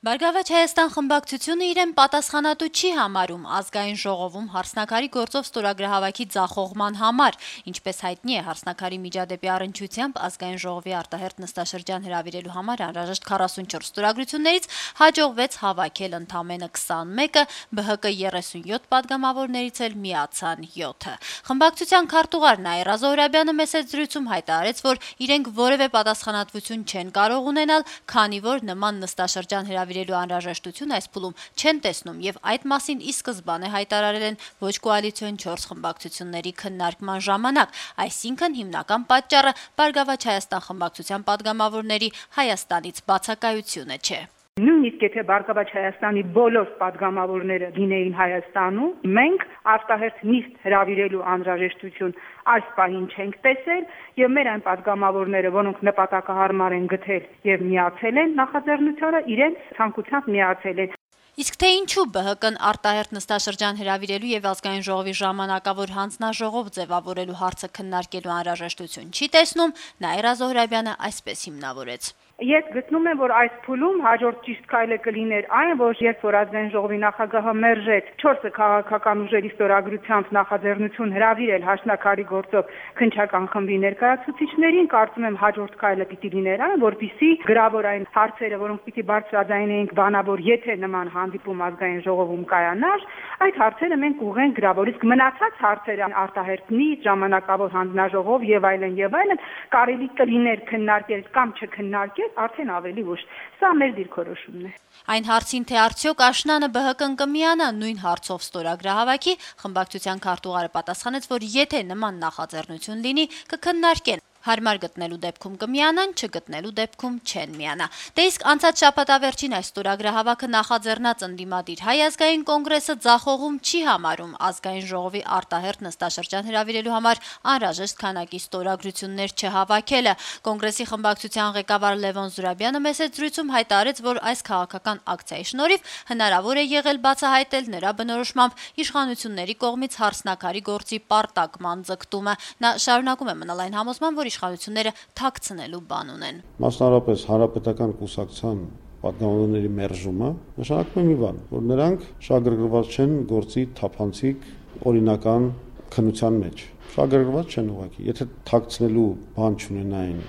Բարգավաճ Հայաստան խմբակցությունը իրեն պատասխանատու չի համարում ազգային ժողովում հարսնաքարի գործով ստորագրահավաքի ձախողման համար, ինչպես հայտնի է հարսնաքարի միջադեպի առնչությամբ ազգային ժողովի արտահերթ նստաշրջան հրավիրելու համար անհրաժեշտ 44 ստորագրություններից հաջողվեց հավաքել ընդամենը 21-ը, ԲՀԿ 37 падգամավորներից էլ միացան 7-ը։ Խմբակցության քարտուղար Նաիրա Զոհրաբյանը մեծ զրույցում հայտարարեց, որ իրենք որևէ պատասխանատվություն չեն կարող ունենալ, քանի որ նման նստաշրջան հրավիրելու անհրաժեշտություն այս փուլում չեն տեսնում եւ այդ մասին ի սկզբանե հայտարարել են ոչ կոալիցիոն 4 խմբակցությունների քննարկման ժամանակ, այսինքն հիմնական պատճառը Բարգավաճ Հայաստան խմբակցության падգամավորների Հայաստանից բացակայությունը չէ։ Նույնիսկ եթե Բարգավաճ Հայաստանի բոլոր падգամավորները լինեին Հայաստանում, մենք արտահերթ նիստ հրավիրելու անհրաժեշտություն այս պահին չենք տեսել եւ մեր այն падգամավորները, որոնք նպատակահարմար են գտել եւ միացել են նախաձեռնությանը, իրենց ցանկությամբ միացել են։ Իսկ թե ինչու ԲՀԿ-ն արտահերթ նստաշրջան հրավիրելու եւ ազգային ժողովի ժամանակավոր հանձնաժողով ձևավորելու հարցը քննարկելու անհրաժեշտություն չի տեսնում, Նաիրա Զոհրաբյանը այսպես հիմնավորեց։ Ես գտնում եմ, որ այս փուլում հաջորդ ճիշտ քայլը կլիներ այն, որ երբ որ ազգային ժողովի նախագահը մերժեց 4 քաղաքական ուժերի ստորագրությամբ նախաձեռնություն հրավիրել Հաշնաքարի գործով քննչական խմբի ներկայացուցիչներին, կարծում եմ հաջորդ քայլը պիտի լիներ այն, որպեսզի գրավոր այն հարցերը, որոնք պիտի բարձրաձայնեինք բանավոր, եթե նման հանդիպում ազգային ժողովում կայանար, այդ հարցերը մենք ուղղենք գրավոր, իսկ մնացած հարցերը արտահերթ նիստ, ժամանակավոր հանձնաժողով եւ այլն կարելի կլիներ քննարկել կամ չքննարկել արդեն ավելի ուշ։ Սա մեր դիրքորոշումն է։ Այն հարցին, թե արդյոք աշնանը ԲՀԿ-ն կմիանա նույն հարցով ստորագրահավաքի, խմբակցության քարտուղարը պատասխանեց, որ եթե նման նախաձեռնություն լինի, կքննարկեն։ Հարմար գտնելու դեպքում կմիանան, չգտնելու դեպքում չեն միանա։ Դե իսկ անցած շաբաթավերջին այս ստորագրահավաքը նախաձեռնած ընդդիմադիր Հայ ազգային կոնգրեսը ձախողում չի համարում ազգային ժողովի արտահերթ նստաշրջան հրավիրելու համար անհրաժեշտ քանակի ստորագրություններ չհավաքելը։ Կոնգրեսի խմբակցության ղեկավար Լևոն Զուրաբյանը մեծ զրույցում հայտարարեց, որ այս քաղաքական ակցիայի շնորհիվ հնարավոր է եղել բացահայտել նրա բնորոշմամբ իշխանությունների կողմից հարսնաքարի գործի պարտակման ձգտումը։ Նա շարունակում է մնալ այն համոզման, որ իշխանությունները թաքցնելու բան ունեն։ Մասնավորապես հանրապետական կուսակցության падգամավորների մերժումը նշանակում է մի բան, որ նրանք շահագրգռված չեն գործի թափանցիկ օրինական քննության մեջ։ Շահագրգռված չեն ուղղակի, եթե թաքցնելու բան չունենային,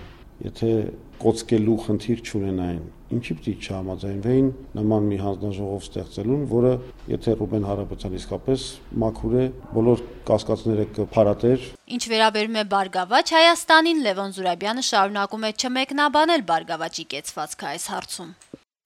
եթե կոծկելու խնդիր չունենային, ինչի պիտի չհամաձայնվեին նման մի հանձնաժողով ստեղծելուն, որը եթե Ռուբեն Հարապետյան իսկապես մաքուր է, բոլոր կասկածները կփարատեր։ Ինչ վերաբերում է Բարգավաճ Հայաստանին, Լևոն Զուրաբյանը շարունակում է չմեկնաբանել Բարգավաճի կեցվածքը այս հարցում։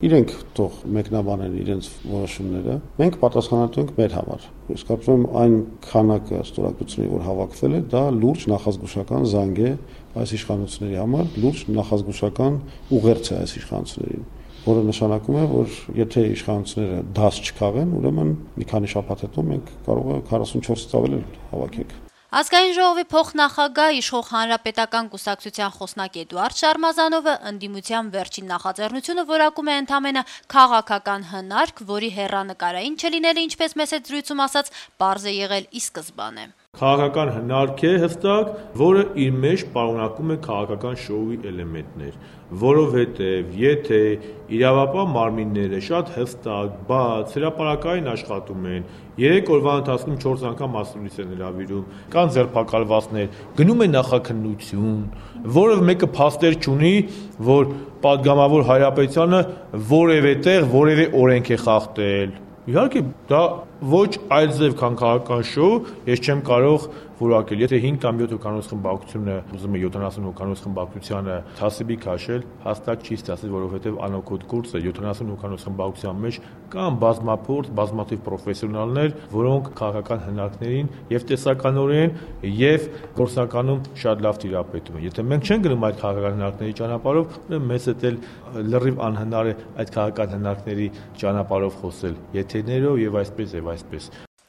Իրենք թող մեկնաբանեն իրենց որոշումները, մենք պատասխանատու ենք մեր համար։ Ես կարծում եմ այն քանակը ստորագրությունների, որ հավաքվել է, դա լուրջ նախազգուշական զանգ է այս իշխանությունների համար, լուրջ նախազգուշական ուղերձ է այս իշխանություններին, որը նշանակում է, որ եթե իշխանությունները դաս չքաղեն, ուրեմն մի քանի շաբաթ հետո մենք կարող է 44-ից ավել հավաքենք։ Ազգային ժողովի փոխնախագահ իշխող հանրապետական կուսակցության խոսնակ Էդուարդ Շարմազանովը ընդդիմության վերջին նախաձեռնությունը որակում է ընդամենը քաղաքական հնարք, որի հեռանկարային չլինելը, ինչպես մեծ զրույցում ասաց, պարզ է եղել ի սկզբանե։ Քաղաքական հնարք է հստակ, որը իր մեջ պարունակում է քաղաքական շոուի էլեմենտներ, որովհետև եթե իրավապահ մարմինները շատ հստակ, բաց, հրապարակային աշխատում են, 3 օրվա ընթացքում 4 անգամ մասնագետ են հրավիրում, կան ձերբակալվածներ, գնում է նախաքննություն, որը մեկը փաստեր չունի, որ падգամավոր Հայրապետյանը որևէ տեղ որևէ օրենք է խախտել։ Իհարկե, դա ոչ այլ ձև քան քաղաքական շոու, ես չեմ կարող որակել, եթե 5 կամ 7 հոգանոց խմբակցությունը ուզում է 70 հոգանոց խմբակցությանը թասիբի քաշել, հաստատ չի ստացել, որովհետև անօգոտ կուրս է 70 հոգանոց խմբակցության մեջ կան բազմափորձ, բազմաթիվ պրոֆեսիոնալներ, որոնք քաղաքական հնարքներին եւ տեսականորեն եւ գործնականում շատ լավ տիրապետում են։ Եթե մենք չենք գնում այդ քաղաքական հնարքների ճանապարհով, ուրեմն մեզ հետ էլ լրիվ անհնար է այդ քաղաքական հնարքների ճանապարհով խոսել, եթերներով եւ այսպես։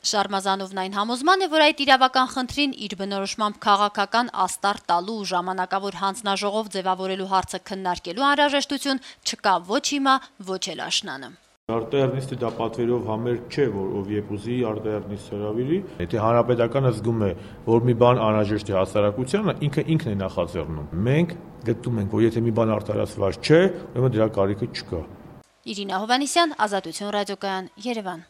Շարմազանովն այն համոզման է, որ այդ իրավական խնդրին իր բնորոշմամբ քաղաքական աստար տալու ու ժամանակավոր հանձնաժողով ձևավորելու հարցը քննարկելու անհրաժեշտություն չկա ոչ հիմա, ոչ էլ աշնանը։ Արտահերնիստը դա պատվերով համերգ չէ, որ ով երբ ուզի արտահերնիստ հրավիրի։ Եթե հանրապետականը զգում է, որ մի բան անհրաժեշտ է հասարակությանը, ինքն է նախաձեռնում։ Մենք գտնում ենք, որ եթե մի բան արտահայտված չէ, ուրեմն դրա կարիքը չկա։ Իրինա Հովհաննիսյան, Ազատություն ռադիոկայան, Երևան։